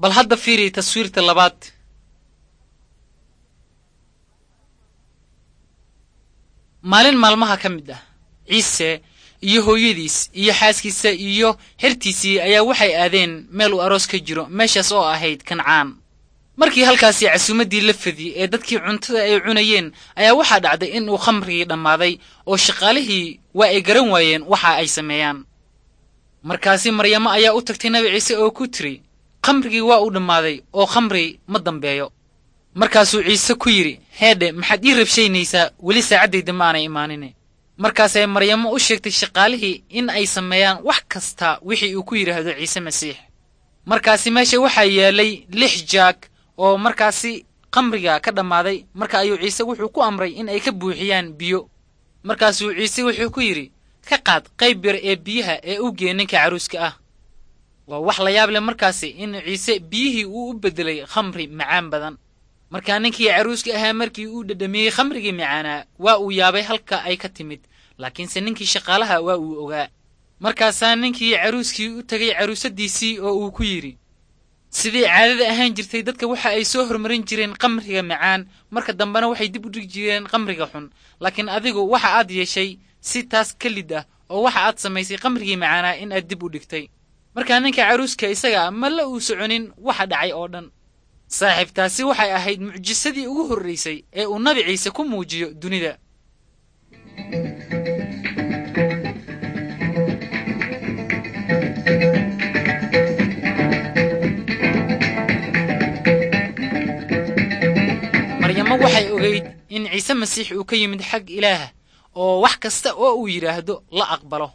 Bal hadda fiiri taswiirta labaad. Maalin maalmaha ka mid ah, Ciise iyo hooyadiis iyo xaaskiisa iyo xertiisii ayaa waxay aadeen meel uu aroos ka jiro, meeshaas oo ahayd Kancaan. Markii halkaasi casuumaddii la fidiyey ee dadkii cuntada ay cunayeen, ayaa waxaa dhacday in uu khamrigii dhammaaday oo shaqaalihii waa ay garan waayeen waxa ay sameeyaan. Markaasi Maryamo ayaa u tagtay Nabi Ciise oo ku tiri, "Khamrigii waa uu dhammaaday oo khamri ma dambeeyo." Markaasuu Ciise ku yidhi, "Heedhe, maxaad ii rabshaynaysaa? Weli saacaddayda ma aanay imaanin." Markaasay Maryamo u sheegtay shaqaalihii in ay sameeyaan wax kasta wixii uu ku yidhaahdo Ciise Masiix. Markaasi meesha waxaa yaalay 6 jaag oo markaasi khamriga ka dhammaaday. Marka ayuu Ciise wuxuu ku amray in ay ka buuxiyaan biyo. Markaasuu Ciise wuxuu ku yidhi, "Ka qaad qayb yar ee biyaha ee u gee ninka caruuska ah." Waa wax la yaab leh markaasi in Ciise biyihii uu u beddelay khamri macaan badan. Markaa ninkii caruuska ahaa markii uu dhadhamiyey khamrigii macaanaa, waa uu yaabay halka ay ka timid, laakiinse ninkii shaqaalaha waa uu ogaa. Markaasaa ninkii caruuskii u tegay caruusadiisii oo uu ku yidhi, "Sidii caadada ahaan jirtay, dadka waxa ay soo hormarin jireen khamriga macaan, marka dambena waxay dib u dhigi jireen khamriga xun. Laakiin adigu waxa aad yeeshay si taas ka lid ah, oo waxa aad samaysay khamrigii macaanaa in aad dib u dhigtay." Markaa ninka caruuska isaga ma la uu soconin waxa dhacay oo dhan. Saaxiibtaasi waxay ahayd mucjisadii ugu horraysay ee uu Nabi Ciise ku muujiyo dunida. Maryamo waxay ogayd in Ciise Masiix uu ka yimid xag Ilaah oo wax kasta oo uu yidhaahdo la aqbalo.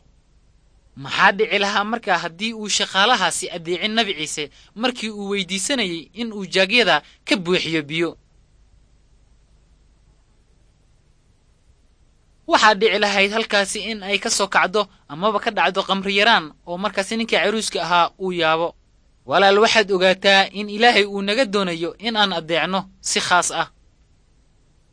Maxaa dhici lahaa markaa haddii uu shaqaalahaasi addeecin Nabi Ciise markii uu weydiisanayay in uu jaagyada ka buuxiyo biyo? Waxaa dhici lahayd halkaasi in ay ka soo kacdo amaba ka dhacdo khamri yaraan oo markaasi ninkii caruuska ahaa uu yaabo. Walaal, waxaad ogaataa in Ilaahay uu naga doonayo in aan addeecno si khaas ah.